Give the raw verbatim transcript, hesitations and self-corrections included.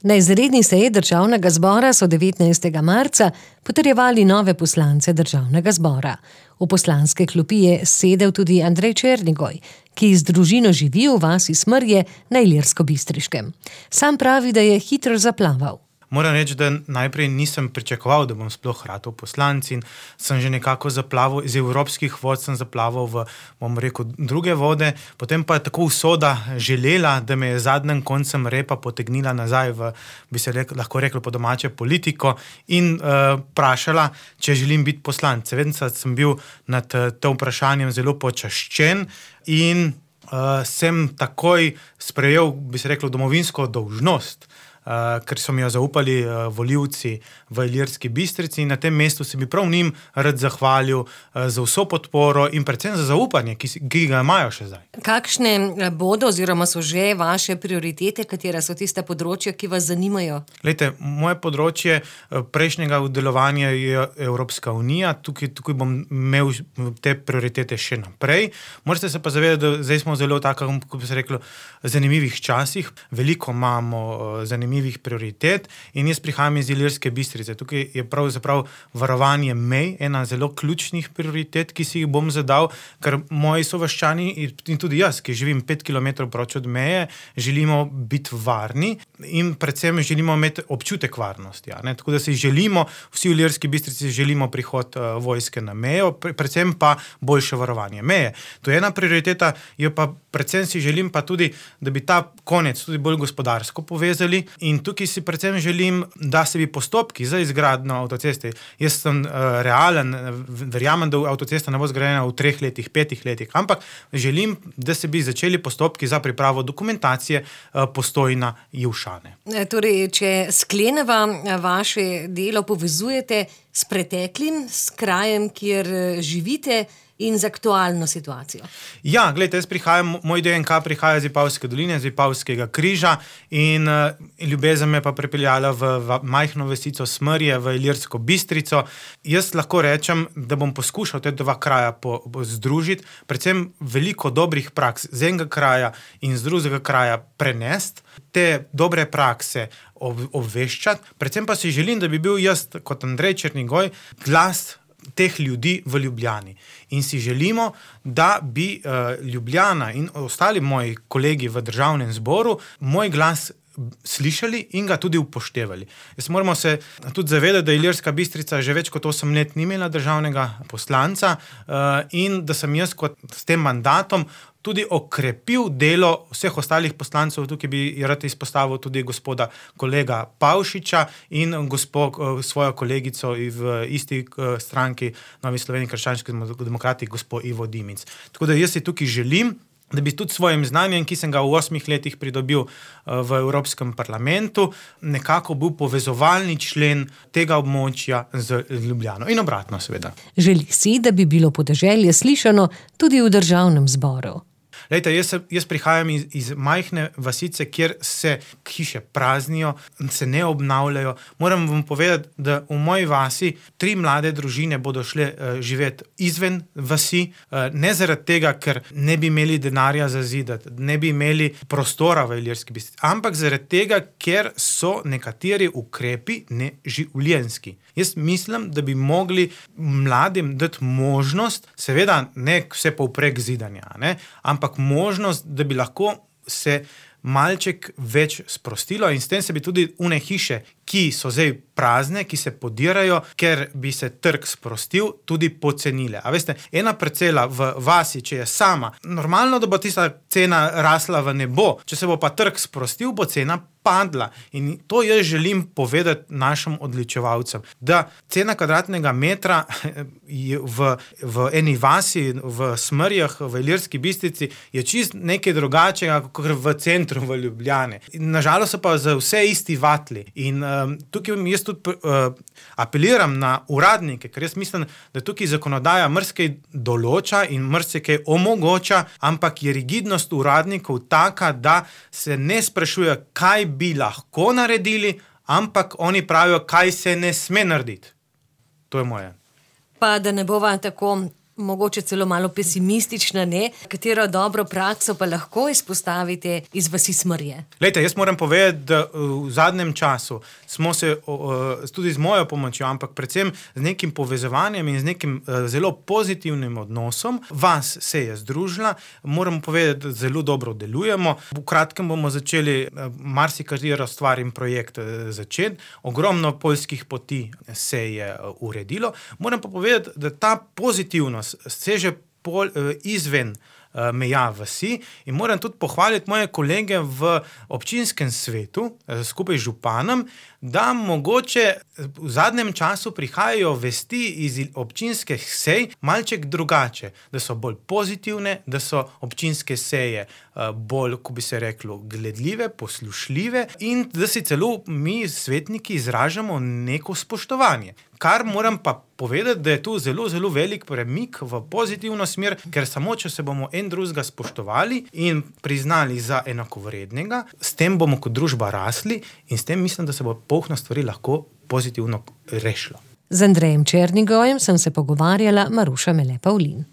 Na izredni seji državnega zbora so devetnajstega marca potrjevali nove poslance državnega zbora. V poslanske klopi je sedel tudi Andrej Černigoj, ki z družino živi v vasi Smrje na Ilirsko-Bistriškem. Sam pravi, da je hitro zaplaval. Moram reči, da najprej nisem pričakoval, da bom sploh ratal poslanec in sem že nekako zaplaval, iz evropskih vod sem zaplaval v, bom rekel, druge vode, potem pa je tako usoda želela, da me je zadnjem koncem repa potegnila nazaj v, bi se rekel, lahko rekel po domače, politiko in uh, vprašala, če želim biti poslanec. Vedno sem bil nad tem vprašanjem zelo počaščen in uh, sem takoj sprejel, bi se rekel, domovinsko dolžnost, Uh, ker so mi jo zaupali uh, volivci v Ilirski Bistrici in na tem mestu se bi prav njim rad zahvalil uh, za vso podporo in predvsem za zaupanje, ki, ki ga imajo še zdaj. Kakšne bodo oziroma so že vaše prioritete, katera so tiste področja, ki vas zanimajo? Glejte, moje področje prejšnjega delovanja je Evropska unija, tukaj, tukaj bom imel te prioritete še naprej. Morate se pa zavedati, da zdaj smo zelo tako, kot bi se reklo, zanimivih časih, veliko imamo uh, zanimivih prioritet in jaz prihajam iz Ilirske Bistrice. Tukaj je pravzaprav varovanje mej ena zelo ključnih prioritet, ki si jih bom zadal, ker moji sovaščani in tudi jaz, ki živim pet kilometrov proč od meje, želimo biti varni in predvsem želimo imeti občutek varnosti. Ja, ne? Tako da si želimo, vsi v Ilirski Bistrici želimo prihod uh, vojske na mejo, predvsem pa boljše varovanje meje. To je ena prioriteta, jo pa predvsem si želim pa tudi, da bi ta konec tudi bolj gospodarsko povezali. In tukaj si predvsem želim, da se bi postopki za izgradnjo avtoceste, jaz sem uh, realen, verjamem, da avtocesta ne bo zgrajena v treh letih, petih letih, ampak želim, da se bi začeli postopki za pripravo dokumentacije uh, Postojna Ivšane. Torej, če skleneva vaše delo povezujete s preteklim, s krajem, kjer živite, in z aktualno situacijo. Ja, gledajte, jaz prihajam, moj D N K prihaja iz Vipavske doline, iz Vipavskega križa in uh, ljubezen me pa pripeljala v, v majhno vasico Smrje, v Ilirsko Bistrico. Jaz lahko rečem, da bom poskušal te dva kraja po, po združiti, predvsem veliko dobrih praks z enega kraja in z drugega kraja prenesti, te dobre prakse ob, obveščati, predvsem pa si želim, da bi bil jaz kot Andrej Černigoj glas teh ljudi v Ljubljani. In si želimo, da bi uh, Ljubljana in ostali moji kolegi v državnem zboru moj glas slišali in ga tudi upoštevali. Jaz moramo se tudi zavedati, da Ilirska Bistrica že več kot osem let ni imela državnega poslanca uh, in da sem jaz kot s tem mandatom tudi okrepil delo vseh ostalih poslancev. Tukaj bi rad izpostavil tudi gospoda kolega Pavšiča in gospo, svojo kolegico v isti stranki Novi Sloveniji krščanski demokrati, gospo Ivo Dimic. Tako da jaz si tukaj želim, da bi tudi svojim znanjem, ki sem ga v osmih letih pridobil v Evropskem parlamentu, nekako bil povezovalni člen tega območja z Ljubljano. In obratno, seveda. Želi si, da bi bilo podeželje slišano tudi v državnem zboru. Lejte, jaz, jaz prihajam iz, iz majhne vasice, kjer se hiše praznijo, se ne obnavljajo. Moram vam povedati, da v moji vasi tri mlade družine bodo šle uh, živeti izven vasi, uh, ne zaradi tega, ker ne bi imeli denarja za zidati, ne bi imeli prostora v Ilirski Bistrici, ampak zaradi tega, ker so nekateri ukrepi neživljenjski. Jaz mislim, da bi mogli mladim dati možnost, seveda ne vse povprek zidanja, ne, ampak možnost, da bi lahko se malček več sprostilo in s tem se bi tudi une hiše, ki so zdaj prazne, ki se podirajo, ker bi se trg sprostil, tudi pocenile. A veste, ena parcela v vasi, če je sama, normalno, da bo tista cena rasla v nebo, če se bo pa trg sprostil, bo cena padla. In to jaz želim povedati našim odličevalcem, da cena kvadratnega metra v, v eni vasi, v Smrjah, v Ilirski Bistrici, je čist nekaj drugačega, kot v centru v Ljubljani. Nažalost so pa za vse isti vatli. In um, tukaj jaz tudi uh, apeliram na uradnike, ker jaz mislim, da tukaj zakonodaja marsikaj določa in marsikaj omogoča, ampak je rigidnost uradnikov taka, da se ne sprašuje, kaj bi lahko naredili, ampak oni pravijo, kaj se ne sme narediti. To je moje. Pa da ne bova tako mogoče celo malo pesimistična, ne? Katero dobro prakso pa lahko izpostavite iz vasi Smrje? Lejte, jaz moram povedati, da v zadnjem času smo se tudi z mojo pomočjo, ampak predvsem z nekim povezovanjem in z nekim zelo pozitivnim odnosom. Vas se je združila, moram povedati, da zelo dobro delujemo. V kratkem bomo začeli marsikatero stvar in projekt začeti. Ogromno poljskih poti se je uredilo. Moram pa povedati, da ta pozitivnost seže pol, izven meja vasi in moram tudi pohvaliti moje kolege v občinskem svetu, skupaj z županom, da mogoče v zadnjem času prihajajo vesti iz občinskih sej malček drugače, da so bolj pozitivne, da so občinske seje bolj, ko bi se reklo, gledljive, poslušljive in da si celo mi, svetniki, izražamo neko spoštovanje. Kar moram pa povedati, da je tu zelo, zelo velik premik v pozitivno smer, ker samo, če se bomo en drugega spoštovali in priznali za enakovrednega, s tem bomo kot družba rasli in s tem mislim, da se bo polno stvari lahko pozitivno rešilo. Z Andrejem Černigojem sem se pogovarjala Maruša Mele Pavlin.